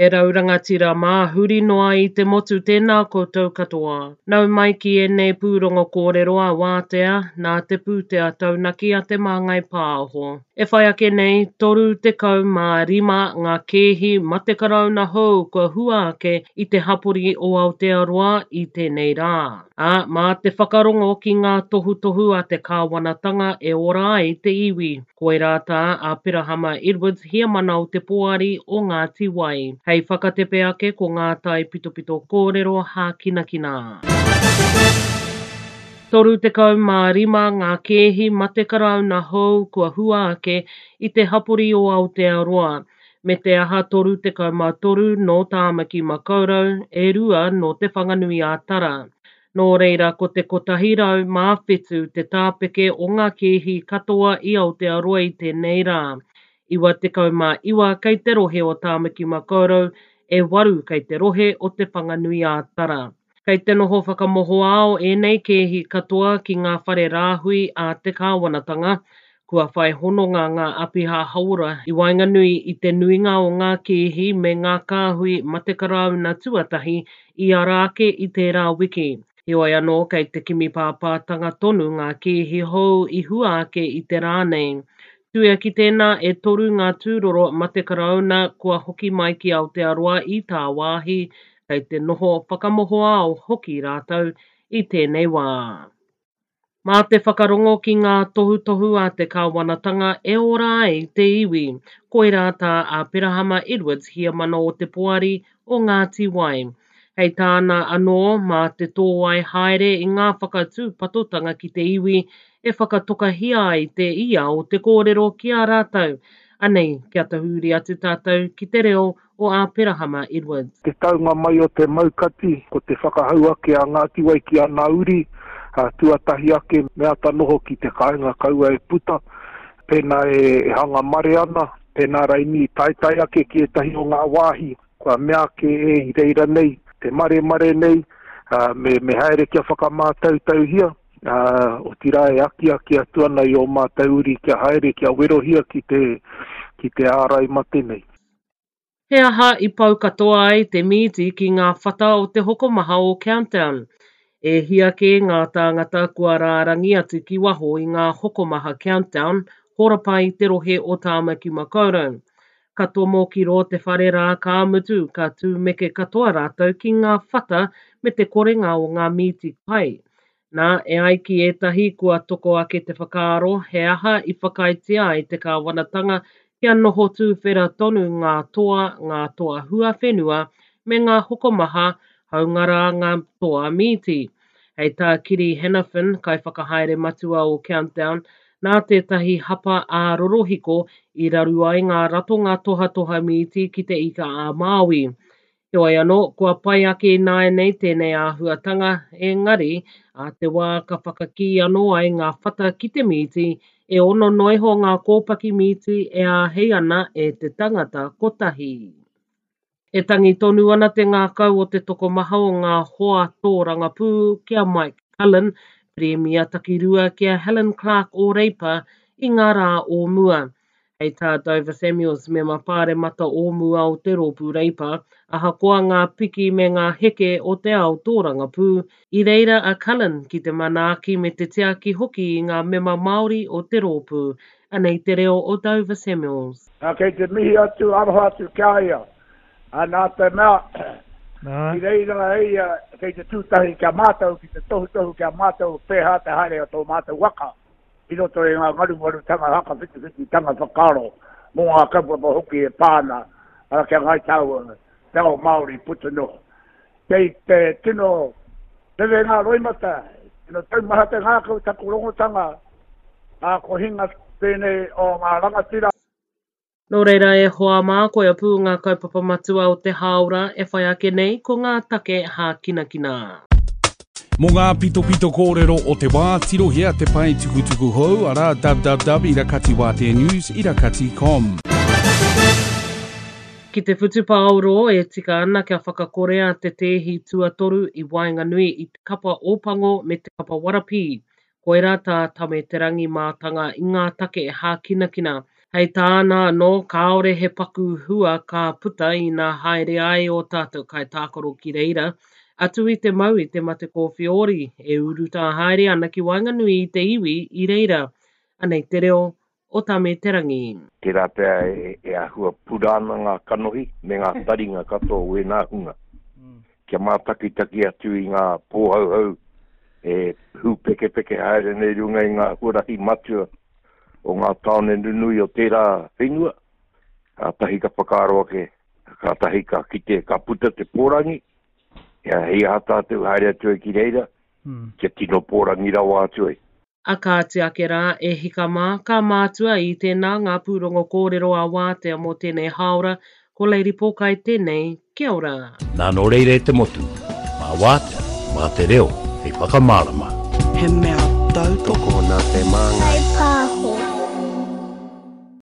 E rau rangatira mā, huri noa i te motu tēnā koutou katoa. Nau mai ki ēnei pūrongo kōrero a Wātea nā te pūtea taunaki a Te Māngai Pāho. E whai ake nei, 35 ngā kēhi mate karauna hou kua hua ake i te hapori o Aotearoa i tēnei rā. Ā, mā te whakarongo ki ngā tohutohu a te kāwanatanga e ora ai te iwi. Koirā tā Aperahama Edwards heamana o te Poari o Ngāti Wai. Hei whakatepe ake ko ngā taipitopito kōrero hākinakina. 35 ngā kēhi mate karauna hou kua hua ake i te hapori o Aotearoa, me te aha 33 nō Tāmaki Makaurau, e rua nō Te Whanganui-ā-Tara. Nō reira ko te 107 te tāpeke o ngā kēhi katoa i Aotearoa i tēnei rā. 99 kei te rohe o Tāmaki Makaurau, e waru kei te rohe o Te Whanganui-ā-Tara. Kei te noho whakamohoao ēnei kēhi katoa ki ngā whare rāhui a te kāwanatanga. Kua whai hononga ngā apiha hauora i waenganui i te nuinga o ngā kēhi me ngā kāhui mate karauna tuatahi i ara ake i tērā wiki. Heoi anō, kei te kimi pāpātanga tonu ngā kēhi hou i hua ake i te rā nei. Tuia ki tēnā, e toru ngā tūroro mate karauna kua hoki mai ki Aotearoa i tāwāhi, kei te noho whakamohoao hoki rātou i tēnei wā. Mā te whakarongo ki ngā tohutohu a te kāwanatanga e ora ai te iwi. Koirā tā Aperahama Edwards heamana o te Poari o Ngāti Wai. Hei tāna anō, mā te tōai haere i ngā whakatūpatotanga ki te iwi e whakatokahia ai te ia o te kōrero ki a rātou. Anei, kia tahuri atu tātou ki te reo o Āperahama Edwards. Te taunga mai o te maukati, ko te whakahau ake a Ngāti Wai ki ana uri, tuatahi ake me ata noho ki te kāinga kaua e puta, pēnā e hanga mare ana, pēnā raini i taetae ake ki ētahi o ngā wāhi kua mea ake e i reira nei, te maremare nei, me, me haere kia whakamātautauhia, ā, otirā e akiaki atu ana i ō mātou uri kia haere, kia werohia ki te, ki te ārai mate nei. He aha i pau katoa ai te mīti ki ngā whata o te hokomaha o Countdown? E hia kē ngā tāngata kua rārangi atu ki waho i ngā hokomaha Countdown horapa i te rohe o Tāmaki Makaurau. Ka tomo ki rō te whare rā ka mutu ka tūmeke katoa rātou ki ngā whata me te korenga o ngā mīti kai. Nā, e ai ki ētahi kua toko ake te whakaaro he aha i whakaaetia ai te kāwanatanga kia noho tūwhera tonu ngā toa, ngā toa huawhenua me ngā hokomaha, hāunga rā ngā toa mīti. Hei tā Kiri Hanafin, kaiwhakahaere matua o Countdown, nā tētahi hapa ā-rorohiko i raru ai ngā ratonga tohatoha mīti ki Te Ika-a-Māui. Heoi anō, kua pai ake ināianei tēnei āhuatanga, engari, ā te wā ka whakakī anō ai ngā whata ki te mīti, e ono noa iho ngā kōpaki mīti e āhei ana e te tangata kotahi. E tangi tonu ana te ngākau o te tokomaha o ngā hoa tōrangapū ki a Mike Cullen, Pirimia takirua ki a Helen Clark o Reipa i ngā rā o mua. Hei tā Dover Samuels, mema pāremata o mua o te Rōpū Reipa, ahakoa ngā piki me ngā heke o te ao tōrangapū, i reira a Cullen ki te manaaki me te tiaki hoki i ngā mema Māori o te rōpū. Anei te reo o Dover Samuels. Ā, kei te mihi atu, aroha atu ki a ia, ā, nā te mea, i reira e ia kei te tūtahi ki a mātou, ki te tohutohu ki a mātou pēhā te haere o tō mātou waka. i roto i ngā ngarumarutanga whakawhitiwhititanga whakaaro mō ngā kaupapa hoki e pā ana ki a Ngāi Tāua, te ao Māori puta noa. Kei te tino rere ngā roimata, tino taumaha te ngākau taku rongotanga, ā, ko hinga tēnei o ngā rangatira. Nō reira e hoa mā, koia pū ngā kaupapa matua o te hāora e whai ake nei ko ngā take hākinakina. Mō ngā pitopito kōrero o te wā, tirohia te pae tukutuku hou, arā, www irakatiwāteanews irakati com. Ki te whutupaoro e tika ana kia whakakorea te tēhi tuatoru i waenganui i te kapa Ōpango me te kapa Warapī. Koirā tā Tame Te Rangi mātanga i ngā take hākinakina. Hei tāna anō, kāore he paku hua ka puta ina haere ai ō tātou kaitākaro ki reira, atu i te mau i te mate kōwhiori e urutā haere ana ki waenganui i te iwi i reira. Anei te reo o Tame Te Rangi. Tērā pea e āhua pura ana ngā kanohi me ngā taringa katoa o ēnā hunga kia mātakitaki atu i ngā pōhauhau e hūpekepeke haere nei i runga i ngā huarahi matua o ngā tāone nunui o tērā whenua, kātahi ka whakaaro ake, kātahi ka kite, ka puta te pōrangi, hei aha tātou haere atu ai ki reira, kia tino pōrangi rawa atu ai. A kāti ake rā, e hika mā, ka mātua i tēnā ngā pūrongo kōrero a Wātea mō tēnei hāora, ko Lady Pōkai tēnei, kia ora. Nā nō reira e te motu, mā Wātea, mā te reo hei whakamārama. He mea tautoko. Tokona te māngai.